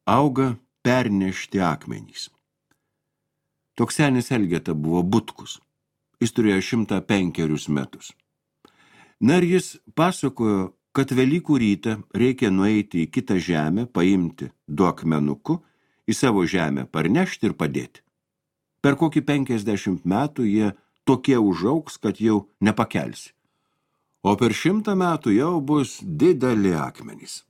auga pernešti akmenys. Toks senis Elgeta buvo Butkus. Jis turėjo 105 metus. Na ir jis pasakojo, kad Velykų rytą reikia nueiti į kitą žemę, paimti 2 akmenukų, į savo žemę parnešti ir padėti. Per kokį 50 metų jie tokie užaugs, kad jau nepakelsi. O per 100 metų jau bus dideli akmenys.